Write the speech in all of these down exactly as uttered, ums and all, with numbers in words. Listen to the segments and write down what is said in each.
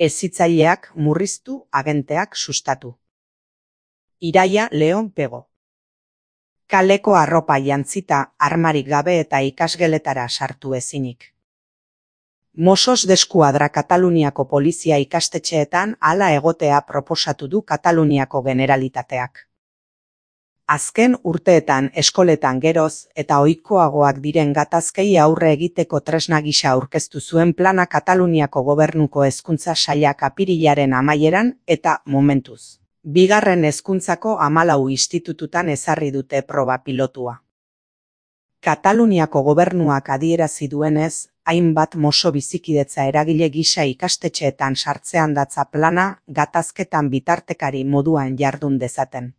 Hezitzaileak murriztu, agenteak sustatu. Iraia Leon Pego. Kaleko arropa jantzita, armarik gabe eta ikasgeletara sartu ezinik. Mossos d'Eskuadra Kataluniako polizia ikastetxeetan hala egotea proposatu du Kataluniako Generalitateak. Azken urteetan eskoletan geroz eta ohikoagoak diren gatazkei aurre egiteko tresna gisa aurkeztu zuen plana Kataluniako Gobernuko Hezkuntza Sailak apirilaren amaieran eta momentuz. Bigarren hezkuntzako hamalau institututan ezarri dute proba pilotua. Kataluniako gobernuak adierazi duenez, hainbat moso bizikidetza eragile gisa ikastetxeetan sartzean datza plana gatazketan bitartekari moduan jardun dezaten.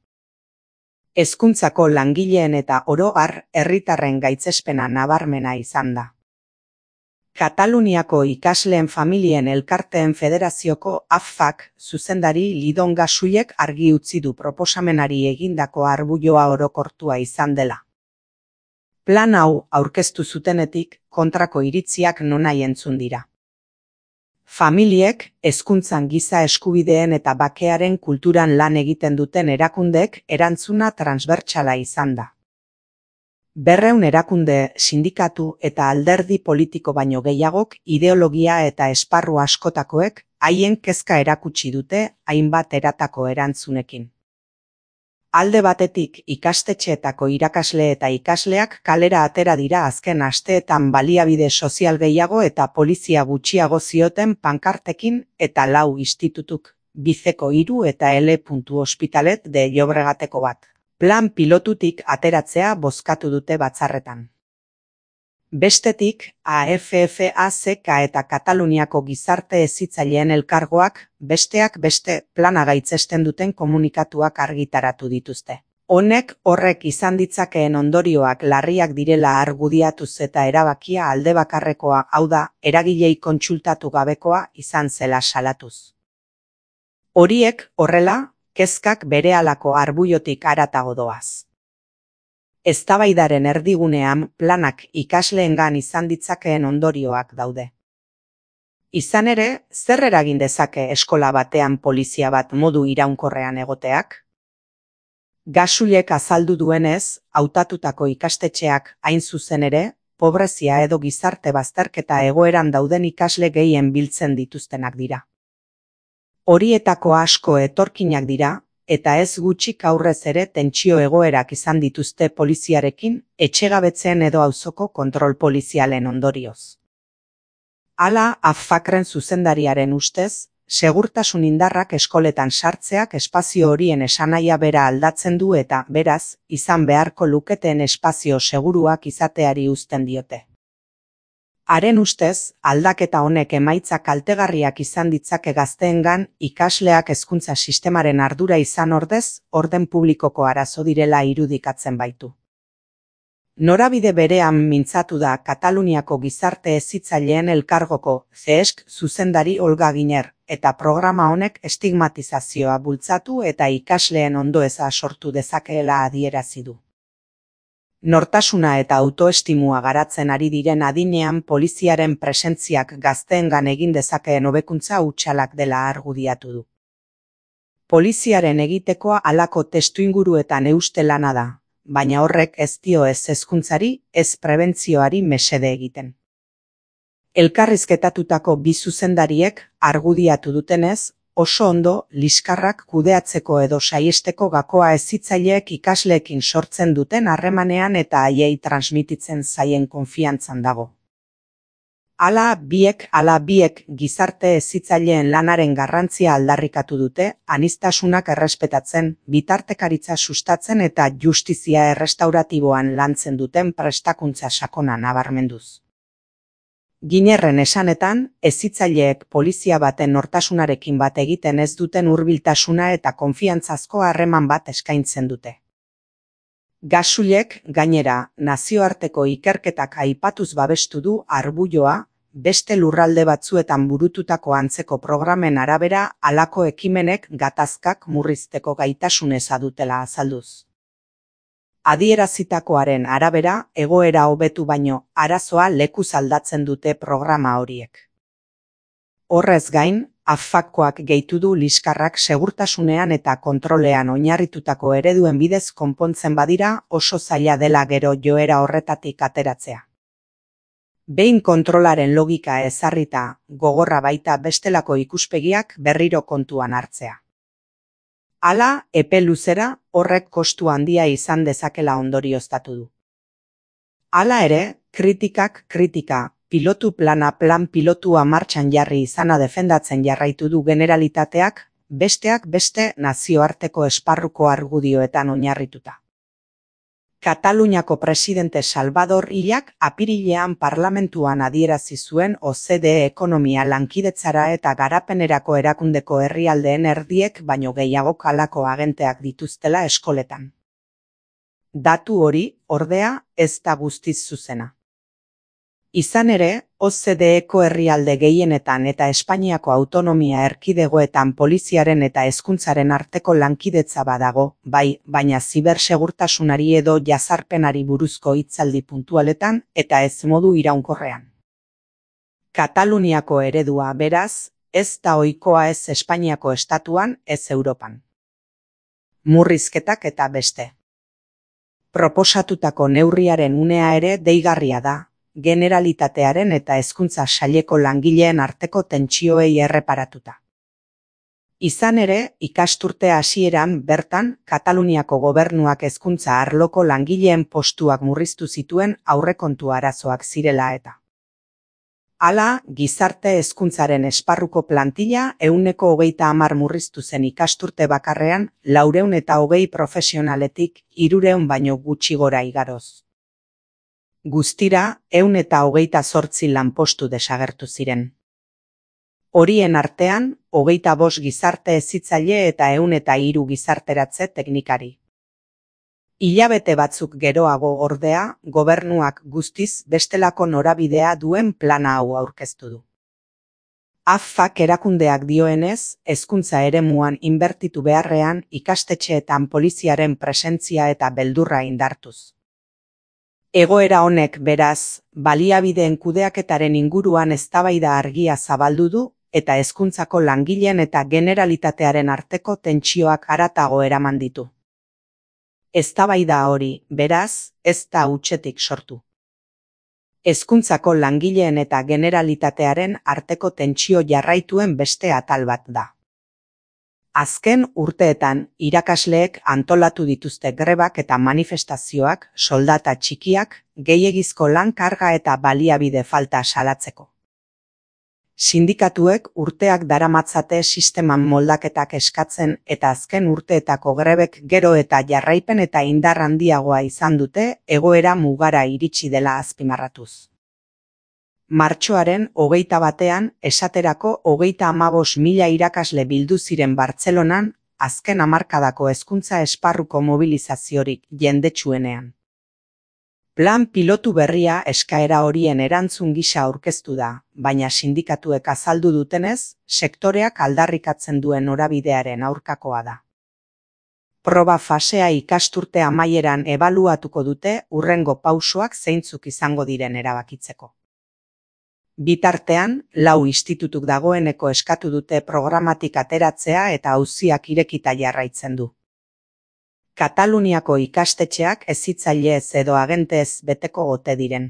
Hezkuntzako langileen eta oro har herritarren gaitzespena nabarmena izan da. Kataluniako ikasleen familien elkarteen federazioko A F A K zuzendari Lidon Gasuyek argi utzi du proposamenari egindako arbuioa orokortua izan dela. Plan hau aurkeztu zutenetik kontrako iritziak nonahi entzun dira. Familiek hezkuntzan giza eskubideen eta bakearen kulturan lan egiten duten erakundeek erantzuna transbertsala izan da. Berreun erakunde, sindikatu eta alderdi politiko baino gehiagok ideologia eta esparru askotakoek haien kezka erakutsi dute hainbat eratako erantzunekin. Alde batetik ikastetxeetako irakasle eta ikasleak kalera atera dira azken asteetan baliabide sozial gehiago eta polizia gutxiago zioten pankartekin eta lau institutuk, Bizeko hiru eta L. Hospitalet de Llobregateko bat. Plan pilotutik ateratzea bozkatu dute batzarretan. Bestetik, A F F A C K eta Kataluniako gizarte hezitzaileen elkargoak besteak beste plana gaitzesten duten komunikatuak argitaratu dituzte. Honek horrek izan ditzakeen ondorioak larriak direla argudiatuz eta erabakia aldebakarrekoa, hau da, eragilei kontsultatu gabekoa izan zela salatuz. Horiek horrela, kezkak berehalako arbuiotik haratago doaz. Eztabaidaren erdigunean planak ikasleengan izan ditzakeen ondorioak daude. Izan ere, zer eragin dezake eskola batean polizia bat modu iraunkorrean egoteak? Gasuyek azaldu duenez, hautatutako ikastetxeak hain zuzen ere, pobrezia edo gizarte bazterketa egoeran dauden ikasle gehien biltzen dituztenak dira. Horietako asko etorkinak dira, eta ez gutxik aurrez ere tentsio egoerak izan dituzte poliziarekin, etxegabetzen edo auzoko kontrol polizialen ondorioz. Hala, A F A K-ren zuzendariaren ustez, segurtasun indarrak eskoletan sartzeak espazio horien esanahia bera aldatzen du eta, beraz, izan beharko luketen espazio seguruak izateari uzten diote. Haren ustez, aldaketa honek emaitza kaltegarriak izan ditzake gazteengan ikasleak hezkuntza sistemaren ardura izan ordez, orden publikoko arazo direla irudikatzen baitu. Norabide berean mintzatu da Kataluniako gizarte hezitzaileen elkargoko C E S K zuzendari Olga Giner, eta programa honek estigmatizazioa bultzatu eta ikasleen ondoeza sortu dezakeela adierazi du. Nortasuna eta autoestimua garatzen ari diren adinean poliziaren presentziak gazteengan egin dezakeen hobekuntza hutsalak dela argudiatu du. Poliziaren egitekoa halako testuinguruetan euste lana da, baina horrek ez dio ez hezkuntzari, ez prebentzioari mesede egiten. Elkarrizketatutako bi zuzendariek argudiatu dutenez, oso ondo liskarrak kudeatzeko edo saiesteko gakoa hezitzaileek ikasleekin sortzen duten harremanean eta haiei transmititzen zaien konfiantzan dago. Hala biek, hala biek gizarte hezitzaileen lanaren garrantzia aldarrikatu dute, aniztasunak errespetatzen, bitartekaritza sustatzen eta justizia errestauratiboan lantzen duten prestakuntza sakona nabarmenduz. Ginerren esanetan, hezitzaileek polizia baten nortasunarekin bat egiten ez duten hurbiltasuna eta konfiantzazko harreman bat eskaintzen dute. Gasuyek, gainera, nazioarteko ikerketak aipatuz babestu du arbuioa, beste lurralde batzuetan burututako antzeko programen arabera halako ekimenek gatazkak murrizteko gaitasuneza dutela azalduz. Adierazitakoaren arabera, egoera hobetu baino, arazoa lekuz aldatzen dute programa horiek. Horrez gain, Afakoak gehitu du liskarrak segurtasunean eta kontrolean oinarritutako ereduen bidez konpontzen badira oso zaila dela gero joera horretatik ateratzea. Behin kontrolaren logika ezarrita, gogorra baita bestelako ikuspegiak berriro kontuan hartzea. Hala, epe luzera, horrek kostu handia izan dezakela ondorioztatu du. Hala ere, kritikak kritika, pilotu plana plan pilotua martxan jarri izana defendatzen jarraitu du Generalitateak, besteak beste nazioarteko esparruko argudioetan oinarrituta. Kataluniako presidente Salvador Ilak apirilean parlamentuan adierazi zuen O C D E ekonomia lankidetzara eta garapenerako erakundeko herrialdeen erdiek baino gehiago kalako agenteak dituztela eskoletan. Datu hori, ordea, ez da guztiz zuzena. Izan ere, O C D Eko herrialde gehienetan eta Espainiako autonomia erkidegoetan poliziaren eta hezkuntzaren arteko lankidetza badago, bai, baina zibersegurtasunari edo jazarpenari buruzko hitzaldi puntualetan eta ez modu iraunkorrean. Kataluniako eredua, beraz, ez da ohikoa ez Espainiako estatuan, ez Europan. Murrizketak eta beste. Proposatutako neurriaren unea ere deigarria da, Generalitatearen eta hezkuntza saileko langileen arteko tentsioei erreparatuta. Izan ere, ikasturte hasieran bertan, Kataluniako gobernuak hezkuntza arloko langileen postuak murriztu zituen aurrekontu arazoak zirela eta. Hala, gizarte hezkuntzaren esparruko plantilla ehuneko hogeita hamar murriztu zen ikasturte bakarrean, laurehun eta hogei profesionaletik hirurehun baino gutxi gora igaroz. Guztira, ehun eta hogeita zortzi lanpostu desagertu ziren. Horien artean, hogeita bost gizarte hezitzaile eta ehun eta hiru gizarteratze teknikari. Hilabete batzuk geroago ordea, gobernuak guztiz bestelako norabidea duen plana hau aurkeztu du. Afak erakundeak dioenez, hezkuntza eremuan inbertitu beharrean ikastetxeetan poliziaren presentzia eta beldurra indartuz. Egoera honek beraz, baliabideen kudeaketaren inguruan eztabaida argia zabaldu du eta hezkuntzako langileen eta Generalitatearen arteko tentsioak haratago eraman ditu. Eztabaida hori, beraz, ez da hutsetik sortu. Hezkuntzako langileen eta Generalitatearen arteko tentsio jarraituen beste atal bat da. Azken urteetan, irakasleek antolatu dituzte grebak eta manifestazioak, soldata txikiak, gehiegizko lan karga eta baliabide falta salatzeko. Sindikatuek urteak daramatzate sisteman moldaketak eskatzen eta azken urteetako grebek gero eta jarraipen eta indar handiagoa izan dute egoera mugara iritsi dela azpimarratuz. Martxoaren hogeita batean, esaterako hogeita hamabost mila irakasle bildu ziren Bartzelonan, azken hamarkadako hezkuntza esparruko mobilizaziorik jendetsuenean. Plan pilotu berria eskaera horien erantzun gisa aurkeztu da, baina sindikatuek azaldu dutenez, sektoreak aldarrikatzen duen norabidearen aurkakoa da. Proba fasea ikasturte amaieran ebaluatuko dute hurrengo pausoak zeintzuk izango diren erabakitzeko. Bitartean, lau institutuk dagoeneko eskatu dute programatik ateratzea eta auziak irekita jarraitzen du. Kataluniako ikastetxeak hezitzailez edo agentez beteko ote diren.